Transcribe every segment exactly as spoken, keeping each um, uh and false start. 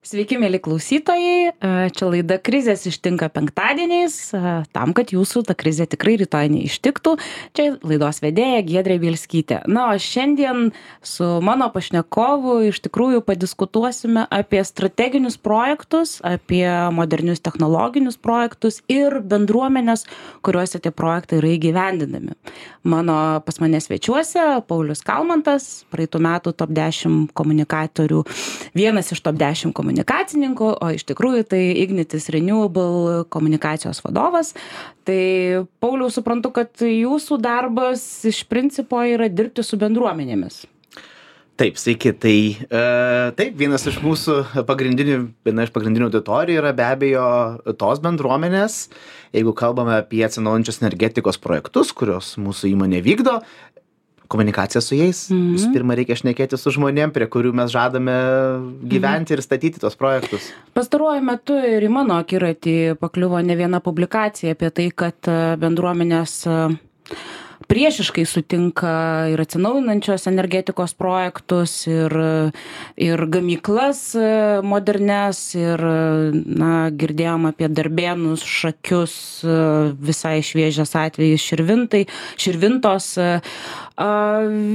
Sveiki, mėly klausytojai. Čia laida Krizės ištinka penktadieniais, tam, kad jūsų ta krizė tikrai rytoj neištiktų. Čia laidos vedėja Giedrė Bielskytė. Na, o šiandien su mano pašnekovu iš tikrųjų padiskutuosime apie strateginius projektus, apie modernius technologinius projektus ir bendruomenės, kuriuose tie projektai yra įgyvendinami. Mano pas mane svečiuose Paulius Kalmantas, praeitų metų top dešimt komunikatorių, vienas iš top dešimt komunikatorių. komunikacininkų, o iš tikrųjų tai Ignitis Renewable komunikacijos vadovas. Tai Pauliau, suprantu, kad jūsų darbas iš principo yra dirbti su bendruomenėmis. Taip, sveiki. Tai e, taip, vienas iš mūsų pagrindinių, viena iš pagrindinių auditorijų yra be abejo tos bendruomenės, jeigu kalbame apie atsinaujinančios energetikos projektus, kurios mūsų įmonė vykdo. Komunikacija su jais. Mm-hmm. Visų pirma, reikia šnekėti su žmonėm, prie kurių mes žadame gyventi mm-hmm. ir statyti tos projektus. Pastaruoju metu ir į mano akiratį pakliuvo ne viena publikacija apie tai, kad bendruomenės priešiškai sutinka ir atsinaujinančios energetikos projektus, ir, ir gamyklas modernes, ir na, girdėjom apie Darbėnus, Šakius, visai šviežias atvejis Širvintai, Širvintos.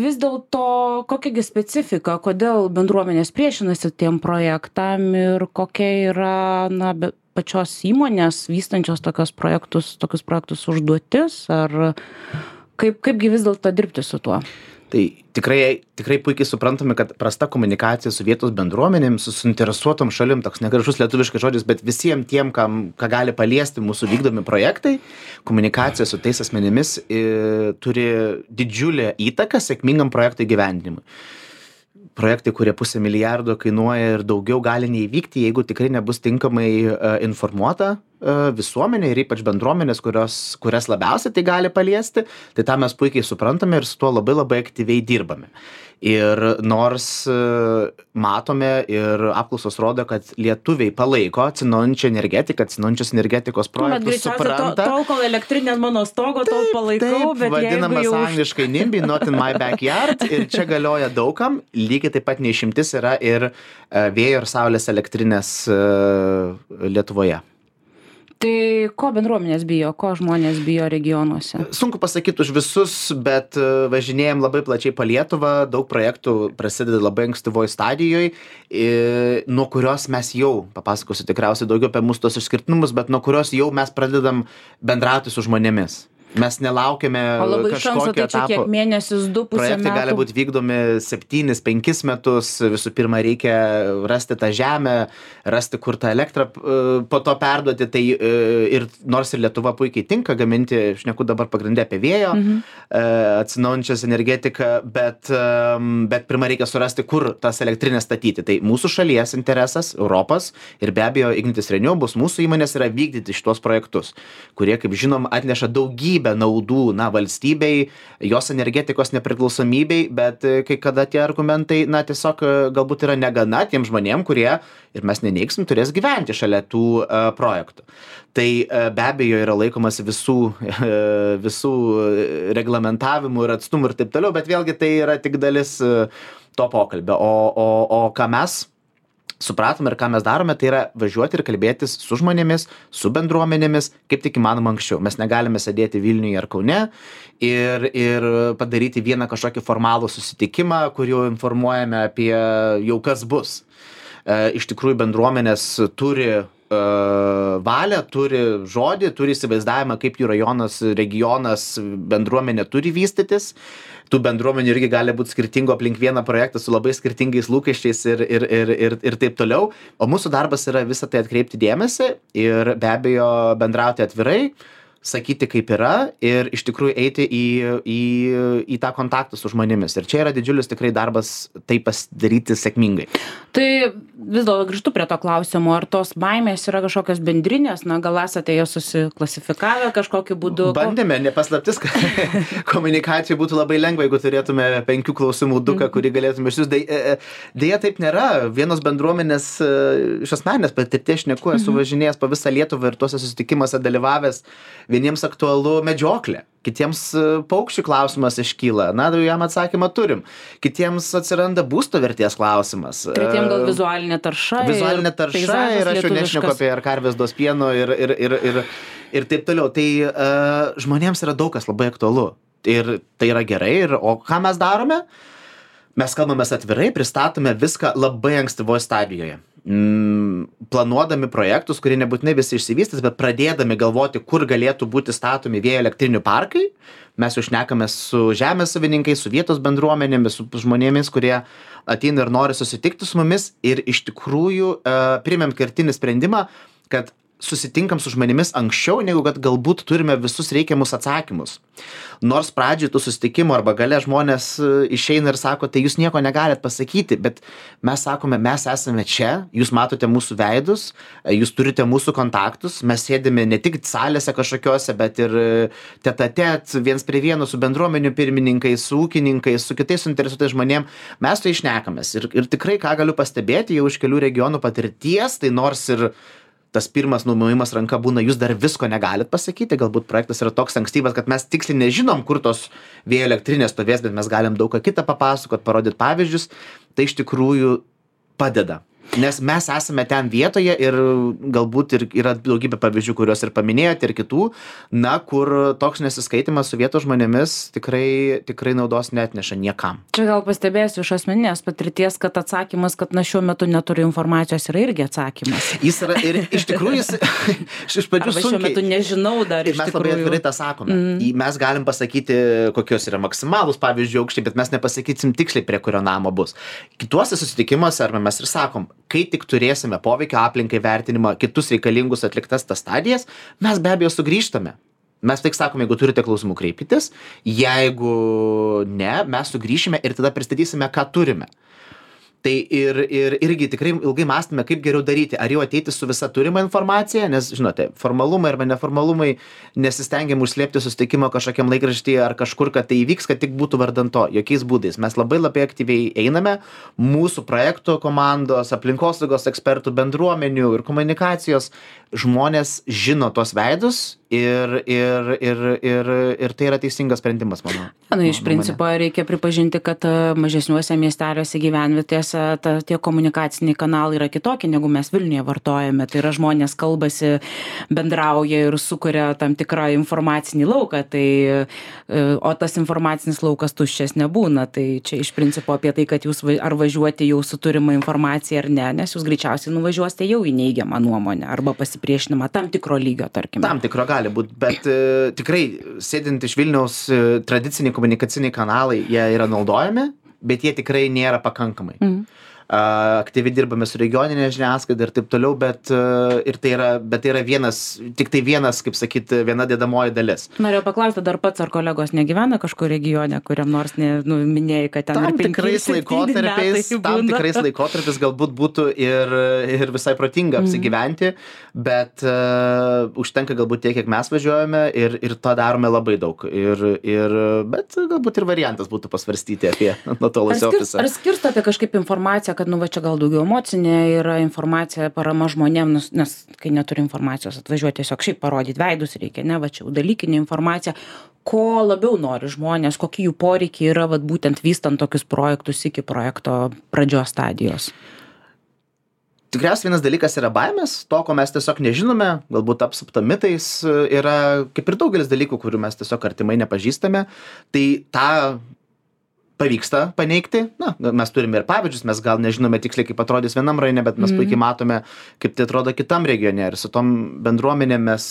Vis dėlto, kokiagi specifika, kodėl bendruomenės priešinasi tiem projektam ir kokia yra na, pačios įmonės vystančios tokios projektus, tokius projektus užduotis, ar Kaip, kaipgi vis dėlto dirbti su tuo? Tai tikrai, tikrai puikiai suprantame, kad prasta komunikacija su vietos bendruomenėm, su suinteresuotom šalim, toks negražus lietuviškas žodis, bet visiems tiem, kam, ką gali paliesti mūsų vykdomi projektai, komunikacija su tais asmenimis e, turi didžiulę įtaką sėkmingam projektų įgyvendinimui. Projektai, kurie pusę milijardo kainuoja ir daugiau gali neįvykti, jeigu tikrai nebus tinkamai uh, informuota uh, visuomenė ir ypač bendruomenės, kurios, kurias labiausiai tai gali paliesti, tai tą mes puikiai suprantame ir su tuo labai labai aktyviai dirbame. Ir nors uh, matome ir apklausos rodo, kad lietuviai palaiko atsinaujinančią energetiką, atsinaujinančios energetikos projektus, supranta. To, tol, kol elektrinė ant mano stogo, taip, tol palaikau, taip, bet vadinamas jau... angliškai NIMBY, not in my backyard, ir čia galioja daugam, lygiai taip pat neišimtis yra ir uh, vėjo ir saulės elektrinės uh, Lietuvoje. Tai ko bendruomenės bijo, ko žmonės bijo regionuose? Sunku pasakyti už visus, bet važinėjom labai plačiai po Lietuvą, daug projektų prasideda labai ankstyvoj stadijoje, nuo kurios mes jau, papasakosiu tikriausiai daugiau apie mūsų tos išskirtinumus, bet nuo kurios jau mes pradedam bendrauti su žmonėmis. Mes nelaukiame kažkokio etapo. Kiek mėnesius, du pusę metų. Projektai gali būti vykdomi septynis, penkis metus. Visų pirma, reikia rasti tą žemę, rasti, kur tą elektrą po to perduoti. Tai ir nors ir Lietuva puikiai tinka gaminti, šneku dabar pagrindę apie vėjo, mhm. atsinaujinančios energetiką, bet, bet pirma reikia surasti, kur tas elektrinės statyti. Tai mūsų šalies interesas, Europos ir be abejo Ignitis Renewable, mūsų įmonės yra vykdyti šitos projektus, kurie, kaip žinom, atneša daugybę naudų, na, valstybei, jos energetikos nepriklausomybei, bet kai kada tie argumentai, na, tiesiog galbūt yra negana tiem žmonėm, kurie, ir mes neneigsim, turės gyventi šalia tų uh, projektų. Tai uh, be abejo yra laikomas visų, uh, visų reglamentavimų ir atstumų ir taip toliau, bet vėlgi tai yra tik dalis uh, to pokalbio. O, o, o ką mes supratome ir ką mes darome, tai yra važiuoti ir kalbėtis su žmonėmis, su bendruomenėmis, kaip tik įmanoma anksčiau. Mes negalime sėdėti Vilniuje ar Kaune ir, ir padaryti vieną kažkokį formalų susitikimą, kur jau informuojame apie jau kas bus. E, iš tikrųjų bendruomenės turi e, valią, turi žodį, turi įsivaizdavimą, kaip jų rajonas, regionas, bendruomenė turi vystytis. Tų bendruomenių irgi gali būti skirtingo aplink vieną projektą su labai skirtingais lūkesčiais ir, ir, ir, ir, ir taip toliau. O mūsų darbas yra visą tai atkreipti dėmesį ir be abejo bendrauti atvirai, sakyti kaip yra ir iš tikrųjų eiti į, į, į tą kontaktą su žmonėmis. Ir čia yra didžiulis tikrai darbas tai pasidaryti sėkmingai. Tai vis dėlto grįžtu prie to klausimo, ar tos baimės yra kažkokios bendrinės, na gal esate jas susiklasifikavę kažkokiu būdu? Bandėme, nepaslaptis, kad komunikacijai būtų labai lengva, jeigu turėtume penkių klausimų duką, kurį galėtume išsiųsti. Deja, taip nėra. Vienos bendruomenės iš asmeninės patirties šneku, esu važinėjęs po visą Lietuvą ir tuose susitikimuose dalyvavęs. vieniems aktualu medžioklė, kitiems paukščių klausimas iškyla, na, jam atsakymą turim, kitiems atsiranda būsto vertės klausimas. Tretiem gal vizualinė tarša. Vizualinė tarša ir aš jau nešneku apie ar karvės duos pieno ir, ir, ir, ir, ir taip toliau. Tai uh, žmonėms yra daug kas labai aktualu ir tai yra gerai. Ir, o ką mes darome? Mes kalbamės atvirai, pristatome viską labai ankstyvoje stadijoje. Mm, planuodami projektus, kurie nebūtinai visi išsivystys, bet pradėdami galvoti, kur galėtų būti statomi vėjo elektrinių parkai, mes jau šnekame su žemės savininkais, su vietos bendruomenėmis, su žmonėmis, kurie ateina ir nori susitikti su mumis ir iš tikrųjų uh, priėmėm kertinį sprendimą, kad susitinkam su žmonėmis anksčiau, negu kad galbūt turime visus reikiamus atsakymus. Nors pradžioj tų susitikimų arba gale žmonės išeina ir sako, tai jūs nieko negalit pasakyti, bet mes sakome, mes esame čia, jūs matote mūsų veidus, jūs turite mūsų kontaktus, mes sėdime ne tik salėse kažkokiose, bet ir tet-a-tet, viens prie vieno su bendruomenių pirmininkais, su ūkininkais, su kitais suinteresuotais žmonėm, mes tai išnekamės. Ir, ir tikrai, ką galiu pastebėti jau iš kelių regionų patirties, tai nors ir tas pirmas numojimas ranka būna, jūs dar visko negalit pasakyti, galbūt projektas yra toks ankstyvas, kad mes tiksliai nežinom, kur tos vėjo elektrinės stovės, bet mes galim daug ką kitą papasakot, parodyti pavyzdžius, tai iš tikrųjų padeda. Nes mes esame ten vietoje ir galbūt ir yra daugybė pavyzdžių, kuriuos ir paminėjote, ir kitų, na, kur toks nesiskaitimas su vietos žmonėmis tikrai, tikrai naudos neatneša niekam. Čia gal pastebėsiu iš asmeninės patirties, kad atsakymas, kad na šiuo metu neturiu informacijos, yra irgi atsakymas. Jis yra ir iš tikrųjų jis iš pradžių sunkiai. Šiuo metu nežinau dar iš mes tikrųjų. Labai atvirai tą sakome. Mm. Mes galim pasakyti, kokios yra maksimalūs pavyzdžių aukščiai, bet mes nepasakysim tiksliai, prie kurio namo bus. Kituose susitikimuose arba mes ir sakom, kai tik turėsime poveikio aplinkai vertinimą, kitus reikalingus atliktas tas stadijas, mes be abejo sugrįžtame. Mes tik sakom, jeigu turite klausimų, kreipkitės, jeigu ne, mes sugrįšime ir tada pristatysime, ką turime. Tai ir, ir irgi tikrai ilgai mąstome, kaip geriau daryti, ar jau ateiti su visa turima informacija, nes, žinote, formalumai arba neformalumai nesistengiam užslėpti susitikimo kažkokiam laikraštyje ar kažkur, kad tai įvyks, kad tik būtų vardan to, jokiais būdais. Mes labai labai aktyviai einame, mūsų projektų komandos, aplinkosaugos ekspertų, bendruomenių ir komunikacijos žmonės žino tos veidus ir, ir, ir, ir, ir tai yra teisingas sprendimas, manau. Na, iš principo reikia pripažinti, kad mažesniuose miesteliuose gyvenvietėse ta, tie komunikaciniai kanalai yra kitokie, negu mes Vilniuje vartojame. Tai yra žmonės kalbasi, bendrauja ir sukuria tam tikrą informacinį lauką, tai, o tas informacinis laukas tuščias nebūna. Tai čia iš principo apie tai, kad jūs ar važiuoti jau su turima informacija ar ne, nes jūs greičiausiai nuvažiuosite jau į neigiamą nuomonę arba pasipriešinimą tam tikro lygio, tarkim. Tam tikro gali būti, bet e, tikrai sėdint iš Vilniaus e, tradiciniai komunikaciniai kanalai, jie yra naudojami, bet jie tikrai nėra pakankamai. Mm. Aktyviai dirbame su regioninė žiniasklaida ir taip toliau, bet, ir tai yra, bet tai yra vienas, tik tai vienas, kaip sakyti, viena dedamoji dalis. Norėjau paklausti, dar pats ar kolegos negyvena kažkur regione, kuriam nors ne, nu, minėjai, kad ten tam tikrais laikotarpiais, tam tikrais laikotarpiais galbūt būtų ir, ir visai protinga apsigyventi, mm. bet uh, užtenka galbūt tiek, kiek mes važiuojame ir, ir to darome labai daug. Ir, ir, bet galbūt ir variantas būtų pasvarstyti apie nutolusį ofisą. Ar skirstote kažkaip informaciją, kad nu va čia gal daugiau emocinė yra informacija, parama žmonėm, nes, nes kai neturi informacijos atvažiuoti tiesiog šiaip parodyti veidus reikia, ne, va čia jau dalykinė informacija, ko labiau nori žmonės, kokie jų poreikiai yra vat būtent vystant tokius projektus iki projekto pradžios stadijos. Tikriausiai vienas dalykas yra baimės, to, ko mes tiesiog nežinome, galbūt apsupta mitais, yra kaip ir daugelis dalykų, kurių mes tiesiog artimai nepažįstame, tai tą pavyksta paneigti. Na, mes turime ir pavyzdžius, mes gal nežinome tiksliai, kaip atrodys vienam rajone, bet mes mm. puikiai matome, kaip tai atrodo kitam regione. Ir su tom bendruomenėm mes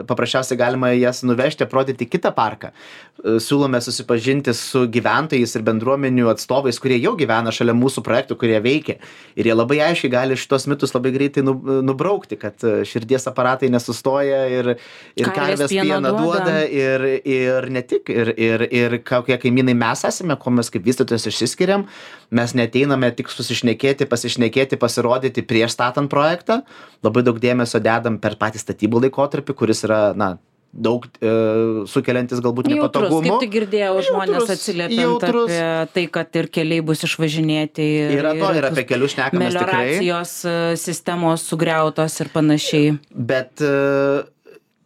paprasčiausiai galima jas nuvežti, aprodyti kitą parką. Siūlome susipažinti su gyventojais ir bendruomenių atstovais, kurie jau gyvena šalia mūsų projektų, kurie veikia. Ir jie labai aiškiai gali šitos mitus labai greitai nubraukti, kad širdies aparatai nesustoja ir, ir karvės pieną duoda, duoda ir, ir ne tik. Ir, ir, ir kokie kaimynai mes esame, ko mes kaip vystytojas išsiskiriam, mes neteiname tik susišnekėti, pasišnekėti, pasirodyti prieš statant projektą, labai daug dėmesio dedam per patį statybų laikotarpį, kuris yra, na, daug e, sukeliantis galbūt nepatogumų. Kaip tik girdėjau, žmonės atsiliepiant apie tai, kad ir keliai bus išvažinėti. Yra to, ir apie kelius šnekamės tikrai. Melioracijos sistemos sugriautos ir panašiai. Bet e,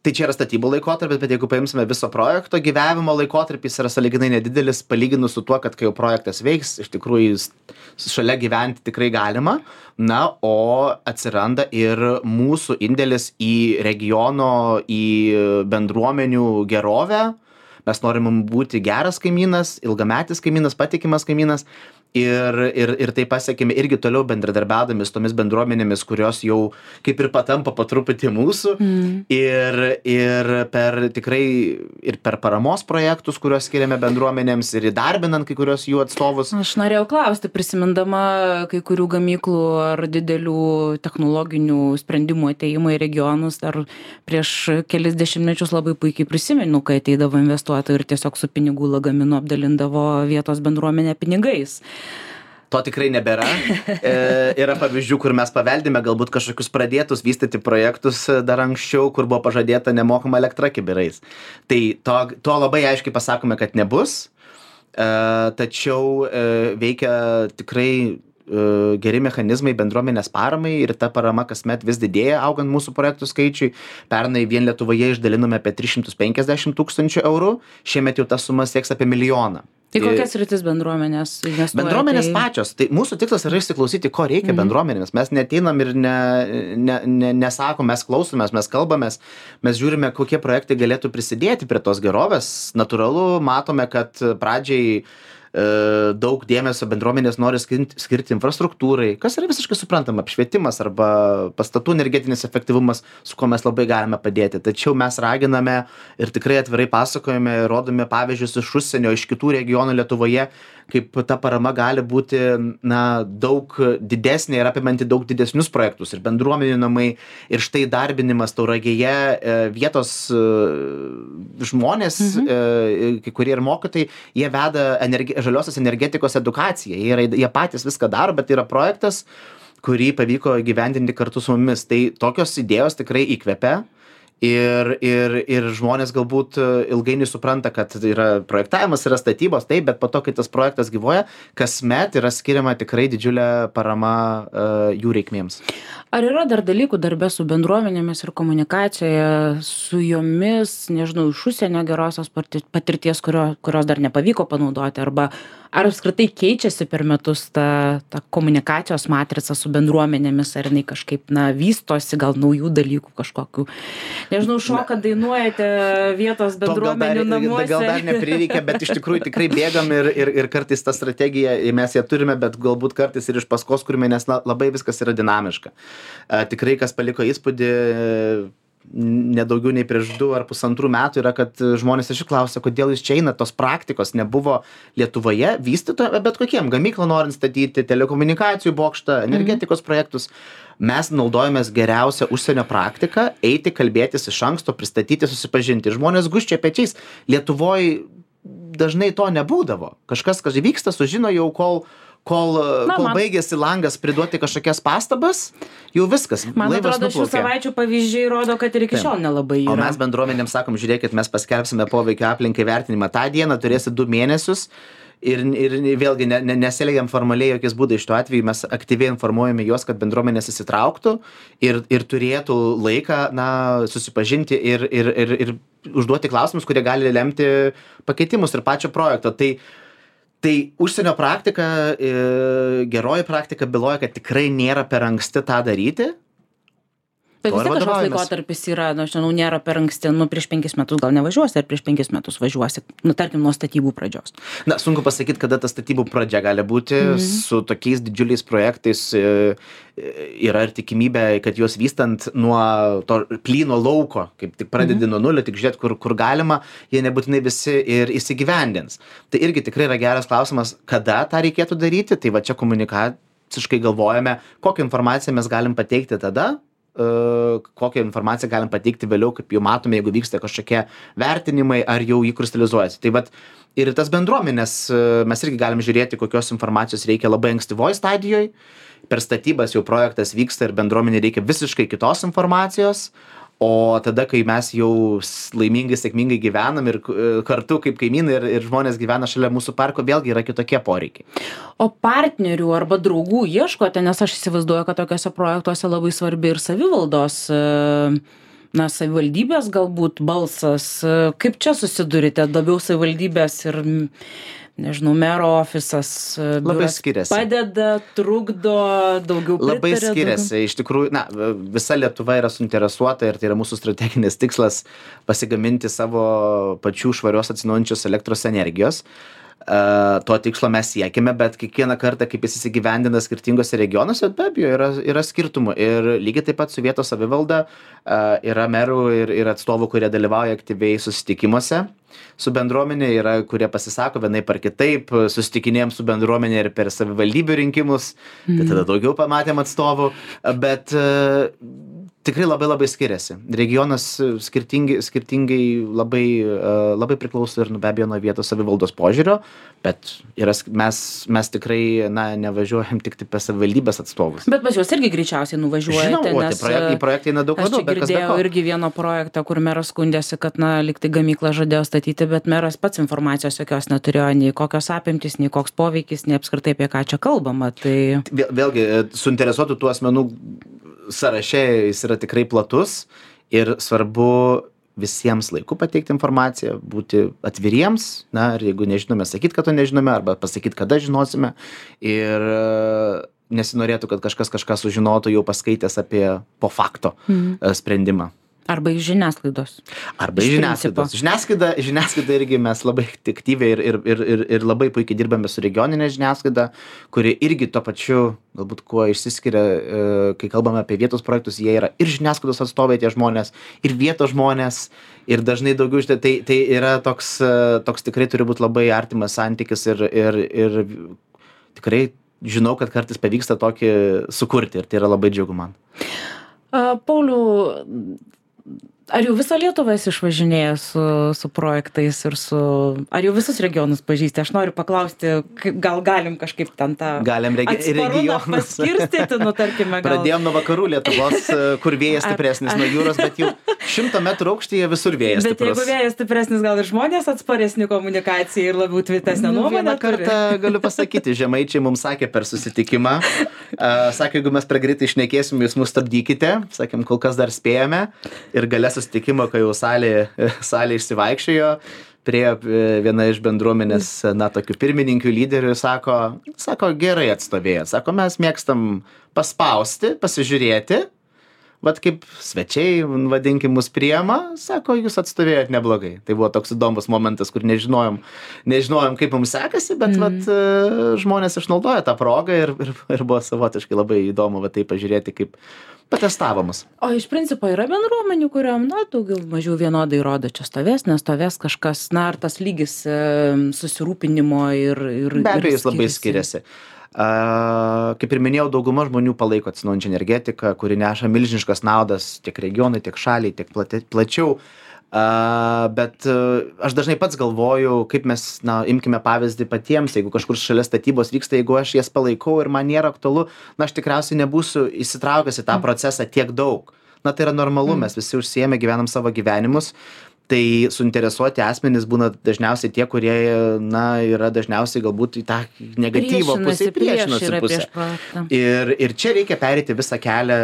Tai čia yra statybų laikotarpis, bet jeigu paimsime viso projekto gyvavimo laikotarpis yra sąlyginai nedidelis palyginus su tuo, kad kai jau projektas veiks, iš tikrųjų jis šalia gyventi tikrai galima. Na, o atsiranda ir mūsų indėlis į regiono, į bendruomenių gerovę. Mes norim būti geras kaimynas, ilgametis kaimynas, patikimas kaimynas. Ir, ir, ir tai pasiekime irgi toliau bendradarbiaudami su tomis bendruomenėmis, kurios jau kaip ir patampa po truputį mūsų. Mm. Ir, ir per tikrai ir per paramos projektus, kuriuos skiriame bendruomenėms ir įdarbinant kai kurios jų atstovus. Aš norėjau klausti, prisimindama kai kurių gamyklų ar didelių technologinių sprendimų ateimą į regionus, ar prieš kelis dešimtmečius labai puikiai prisimenu, kai ateidavo investuotojai ir tiesiog su pinigų lagaminu apdalindavo vietos bendruomenę pinigais. To tikrai nebėra. E, yra pavyzdžių, kur mes paveldime galbūt kažkokius pradėtus vystyti projektus dar anksčiau, kur buvo pažadėta nemokama elektra kibirais. Tai to, to labai aiškiai pasakome, kad nebus. E, tačiau e, veikia tikrai e, geri mechanizmai bendruomenės paramai ir ta parama kasmet vis didėja, augant mūsų projektų skaičiui. Pernai vien Lietuvoje išdalinome apie tris šimtus penkiasdešimt tūkstančių eurų, šiemet jau ta suma sieks apie milijoną. Tai kokias rytis bendruomenės investuoja? Bendruomenės tai... pačios. Tai mūsų tikslas yra išsiklausyti, ko reikia mm. bendruomenėms. Mes neteinam ir ne, ne, ne, nesakom, mes klausomės, mes kalbamės, mes žiūrime, kokie projektai galėtų prisidėti prie tos gerovės. Natūralu, matome, kad pradžiai daug dėmesio bendruomenės nori skirti, skirti infrastruktūrai, kas yra visiškai suprantama, apšvietimas arba pastatų energetinis efektyvumas, su kuo mes labai galime padėti. Tačiau mes raginame ir tikrai atvirai pasakojame, rodome pavyzdžius iš užsienio, iš kitų regionų Lietuvoje, kaip ta parama gali būti na, daug didesnė ir apimanti daug didesnius projektus ir bendruomenių namai ir štai darbinimas Tauragėje vietos žmonės, mhm. kai kurie ir mokytojai, jie veda energi- žaliosios energetikos edukaciją, jie, yra, jie patys viską daro, bet tai yra projektas, kurį pavyko gyvendinti kartu su mumis. Tai tokios idėjos tikrai įkvepia. Ir, ir, ir žmonės galbūt ilgainiui supranta, kad yra projektavimas, yra statybos, taip, bet po to, kai tas projektas gyvuoja, kasmet yra skiriama tikrai didžiulė parama uh, jų reikmėms. Ar yra dar dalykų darbe su bendruomenėmis ir komunikacijoje su jomis, nežinau, iš užsienio gerosios patirties, kurio, kurios dar nepavyko panaudoti, arba ar apskritai keičiasi per metus ta, ta komunikacijos matrica su bendruomenėmis, ar jinai kažkaip, na, vystosi, gal naujų dalykų kažkokių. Nežinau, šokat, dainuojate vietos bendruomenių namuose. Gal dar neprireikia, bet iš tikrųjų tikrai bėgam ir, ir, ir kartais tą strategiją mes ją turime, bet galbūt kartais ir iš paskos kurime, nes na, labai viskas yra dinamiška. A, tikrai, kas paliko įspūdį, nedaugiau nei prieš du ar pusantrų metų yra, kad žmonės iš jų klausia, kodėl jūs čia einat, tos praktikos nebuvo Lietuvoje vystytoje, bet kokiem, gamyklą norint statyti, telekomunikacijų bokštą, energetikos mm. projektus. Mes naudojamės geriausią užsienio praktiką, eiti, kalbėtis iš anksto, pristatyti, susipažinti. Žmonės gūžčia pečiais. Lietuvoje dažnai to nebūdavo. Kažkas, kas vyksta, sužino jau, kol kol, Na, kol man... baigėsi langas priduoti kažkokias pastabas, jau viskas. Man atrodo, šių savaičių pavyzdžiai rodo, kad ir iki šiol nelabai yra. O mes bendruomenėms sakom, žiūrėkit, mes paskelbsime poveikio aplinkai vertinimą. Ta diena turėsi du mėnesius ir, ir vėlgi ne, ne, nesielgiam formaliai jokiais būdais. Šituo atveju mes aktyviai informuojame juos, kad bendruomenės įsitrauktų ir, ir turėtų laiką na, susipažinti ir, ir, ir, ir užduoti klausimus, kurie gali lemti pakeitimus ir pačio projekto. Tai Tai užsienio praktika, geroji praktika byloja, kad tikrai nėra per anksti tą daryti. Bet vis tiek kažkoks laikotarpis yra, nu, aš žinau, nėra per anksti, nu, prieš penkis metus gal nevažiuosi, ar prieš penkis metus važiuosi, nu, tarkim, nuo statybų pradžios. Na, sunku pasakyti, kada ta statybų pradžia gali būti, mm-hmm. su tokiais didžiuliais projektais yra ir tikimybė, kad juos vystant nuo to plyno lauko, kaip tik pradedi mm-hmm. nuo nulio, tik žiūrėt, kur, kur galima, jie nebūtinai visi ir įsigyvendins. Tai irgi tikrai yra geras klausimas, kada tą reikėtų daryti, tai va čia komunikaciškai galvojame, kokią informaciją mes galim pateikti tada, kokią informaciją galim pateikti vėliau, kaip jau matome, jeigu vyksta kažkokie vertinimai, ar jau jį kristalizuojasi. Tai vat ir tas bendruomenės mes irgi galim žiūrėti, kokios informacijos reikia labai ankstyvoj stadijoj. Per statybas jau projektas vyksta ir bendruomenė reikia visiškai kitos informacijos. O tada, kai mes jau laimingai, sėkmingai gyvenam ir kartu kaip kaimynai ir, ir žmonės gyvena šalia mūsų parko, vėlgi yra kitokie poreikiai. O partnerių arba draugų ieškote, nes aš įsivaizduoju, kad tokiuose projektuose labai svarbi ir savivaldos na, savivaldybės galbūt balsas. Kaip čia susidurite? Labiau savivaldybės ir, nežinau, mero ofisas labai skiriasi. Padeda, trukdo, daugiau pritaria. Labai skiriasi. Daugiau. Iš tikrųjų, na, visa Lietuva yra suinteresuota ir tai yra mūsų strateginis tikslas pasigaminti savo pačių švarios atsinaujinančios elektros energijos. Uh, to tikslo mes siekime, bet kiekvieną kartą, kaip jis įsigyvendina skirtingose regionuose, be abejo, yra, yra skirtumų. Ir lygiai taip pat su vietos savivalda uh, yra merų ir, ir atstovų, kurie dalyvauja aktyviai susitikimuose su bendruomenė, yra, kurie pasisako vienaip ar kitaip, susitikinėjom su bendruomenė ir per savivaldybių rinkimus, mm. tai tada daugiau pamatėm atstovų, bet uh, tikrai labai labai skiriasi. Regionas skirtingai, skirtingai labai, uh, labai priklauso ir be abejo nuo vietos savivaldos požiūrio, bet yra, mes, mes tikrai na, nevažiuojam tik tai per savivaldybės atstovus. Bet pas juos irgi greičiausiai nuvažiuojate. Žinau, o tai projektai, projektai eina daug labiau. Aš girdėjau irgi vieno projektą, kur meras skundėsi, kad na, lyg tai gamyklą žadėjo statyti, bet meras pats informacijos jokios neturėjo, nei kokios apimtys, nei koks poveikis, nei apskritai apie ką čia kalbama. Tai... Vėl, vėlgi, suinteresuotų tų asmenų sąraše jis yra tikrai platus ir svarbu visiems laiku pateikti informaciją, būti atviriems, na, ir jeigu nežinome, sakyti, kad to nežinome, arba pasakyti, kada žinosime. Ir nesinorėtų, kad kažkas kažką sužinotų jau paskaitęs apie po fakto mm. sprendimą. Arba iš žiniasklaidos. Arba iš žiniasklaidos. Žiniasklaida, žiniasklaida irgi mes labai aktyviai ir, ir, ir, ir, ir labai puikiai dirbame su regioninė žiniasklaida, kuri irgi to pačiu, galbūt kuo išsiskiria, kai kalbame apie vietos projektus, jie yra ir žiniasklaidos atstovai tie žmonės, ir vietos žmonės, ir dažnai daugiau iš tai, tai, tai yra toks, toks tikrai turi būti labai artimas santykis ir, ir, ir tikrai žinau, kad kartais pavyksta tokį sukurti ir tai yra labai džiugu man. Uh, Pauliau, ar jau visą Lietuvą esi išvažinėjęs su, su projektais ir su... Ar jau visus regionus pažįsti? Aš noriu paklausti, kaip, gal galim kažkaip ten tą... Galim regi regionus paskirstyti, nu tarkime. Gal... Pradėjom nuo vakarų Lietuvos, kur vėjas stipresnis nuo jūros, bet jau šimto metrų aukštyje visur vėjas stiprus. Bet jeigu vėjas stipresnis, gal ir žmonės atsparesni komunikacijai ir labiau tvirtesnė nuomonė. Vieną kartą galiu pasakyti, žemaičiai mums sakė per susitikimą, uh, sakė, jeigu mes per greitai šnekėsim, jūs mus stabdykite, sakėm, kol kas dar spėjame ir galės susitikimo, kai jau salė, salė išsivaikščiojo, prie viena iš bendruomenės, na, tokių pirmininkių lyderių, sako, sako, gerai atstovėjot, sako, mes mėgstam paspausti, pasižiūrėti, vat kaip svečiai, vadinkim, mus priema, sako, jūs atstovėjot neblogai. Tai buvo toks įdomus momentas, kur nežinojom, nežinojom kaip mums sekasi, bet mm. vat, žmonės išnaudoja tą progą ir, ir, ir buvo savotiškai labai įdomu vat, tai pažiūrėti, kaip patestavomus. O iš principo yra bendruomenių, kuriam, na, daugiau mažiau vienodai rodo, čia stovės, nestovės kažkas, na, ar tas lygis e, susirūpinimo ir... ir Be abejo, jis labai skiriasi. Uh, kaip ir minėjau, dauguma žmonių palaiko atsinaujinančią energetiką, kuri neša milžiniškas naudas tiek regionui, tiek šaliai, tiek plati, plačiau. Uh, bet uh, aš dažnai pats galvoju, kaip mes, na, imkime pavyzdį patiems, jeigu kažkur šalia statybos vyksta, jeigu aš jas palaikau ir man nėra aktualu, na, aš tikriausiai nebūsiu įsitraukęs į tą procesą tiek daug. Na, tai yra normalu, mes visi užsiėmę, gyvenam savo gyvenimus. Tai suinteresuoti asmenys būna dažniausiai tie, kurie, na, yra dažniausiai galbūt į tą negatyvo pusę, priešinasi pusę. Ir, ir čia reikia pereiti visą kelią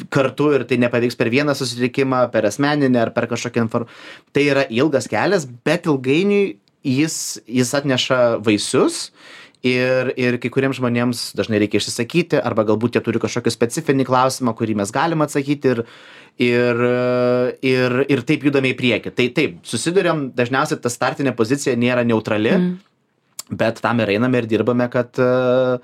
kartu ir tai nepavyks per vieną susitikimą, per asmeninę ar per kažkokią informaciją. Tai yra ilgas kelias, bet ilgainiui jis, jis atneša vaisius. Ir, ir kai kuriems žmonėms dažnai reikia išsisakyti, arba galbūt jie turi kažkokį specifinį klausimą, kurį mes galim atsakyti ir, ir, ir, ir taip judame į priekį. Tai taip, susiduriam, dažniausiai ta startinė pozicija nėra neutrali, mm. bet tam ir einame ir dirbame, kad uh,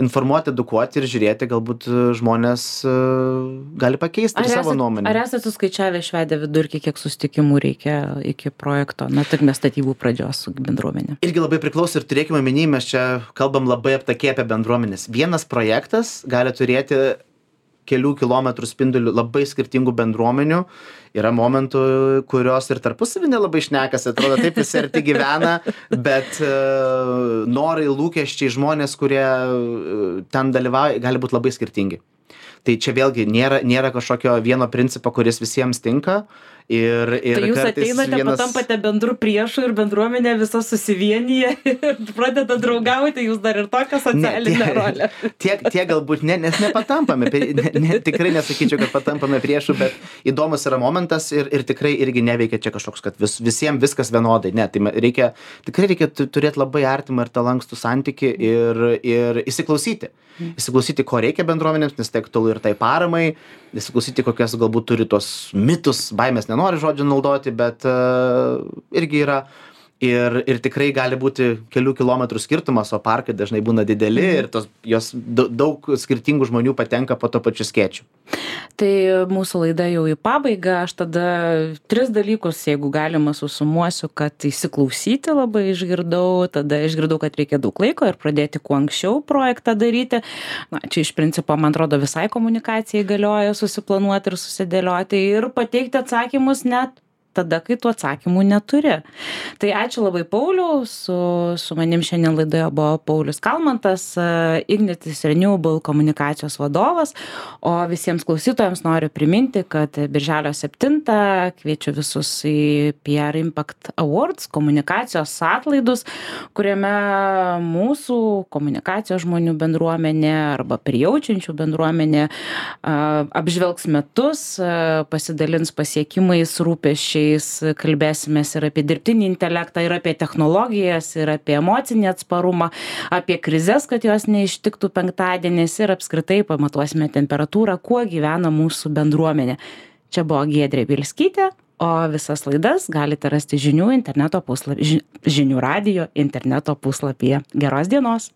informuoti, edukuoti ir žiūrėti, galbūt žmonės uh, gali pakeisti savo nuomonę. Ar esate suskaičiavę išvedę vidurkį, kiek susitikimų reikia iki projekto, na, tik mes statybų pradžios su bendruomenė? Irgi labai priklauso ir turėkime omeny, mes čia kalbam labai aptakiai apie bendruomenės. Vienas projektas gali turėti kelių kilometrų spindulių labai skirtingų bendruomenių. Yra momentų, kurios ir tarpusavy nelabai šnekasi, atrodo, taip visi arti gyvena, bet uh, norai, lūkesčiai, žmonės, kurie uh, ten dalyvauja, gali būti labai skirtingi. Tai čia vėlgi nėra, nėra kažkokio vieno principo, kuris visiems tinka Ir, ir Tai jūs kartais ateinate, vienas... patampate bendrų priešų ir bendruomenė visa susivienyje ir pradeda draugauti, jūs dar ir tokią socialinę Ne, rolę. Tiek, tiek galbūt ne, nes nepatampame, ne, ne, tikrai nesakyčiau, kad patampame priešų, bet įdomus yra momentas ir, ir tikrai irgi neveikia čia kažkoks, kad vis, visiems viskas vienodai. Ne, tai reikia, tikrai reikia turėti labai artimą ir tą lankstų santyki ir, ir įsiklausyti. Įsiklausyti, ko reikia bendruomenėms, nes tai aktualu ir tai paramai, įsiklausyti, kokias galbūt turi tos mitus, baimės nenori žodžių naudoti, bet uh, irgi yra. Ir, ir tikrai gali būti kelių kilometrų skirtumas, o parkai dažnai būna dideli ir tos, jos daug skirtingų žmonių patenka po to pačiu skėčiu. Tai mūsų laida jau į pabaigą, aš tada tris dalykus, jeigu galima, susumuosiu, kad įsiklausyti labai išgirdau, tada išgirdau, kad reikia daug laiko ir pradėti kuo anksčiau projektą daryti. Na, čia iš principo, man atrodo, visai komunikacijai galioja susiplanuoti ir susidėlioti ir pateikti atsakymus net tada, kai tų atsakymų neturi. Tai ačiū labai Pauliau, su, su manim šiandien laidoje buvo Paulius Kalmantas, Ignitis Renewable komunikacijos vadovas, o visiems klausytojams noriu priminti, kad birželio septintą kviečiu visus į P R Impact Awards komunikacijos atlaidus, kuriame mūsų komunikacijos žmonių bendruomenė arba prijaučiančių bendruomenė apžvelgs metus, pasidalins pasiekimais, rūpesčiais, kalbėsimės ir apie dirbtinį intelektą, ir apie technologijas, ir apie emocinį atsparumą, apie krizes, kad jos neištiktų penktadienis ir apskritai pamatuosime temperatūrą, kuo gyvena mūsų bendruomenė. Čia buvo Giedrė Bielskytė, o visas laidas galite rasti žinių interneto puslapyje, žinių radijo interneto puslapyje. Geros dienos!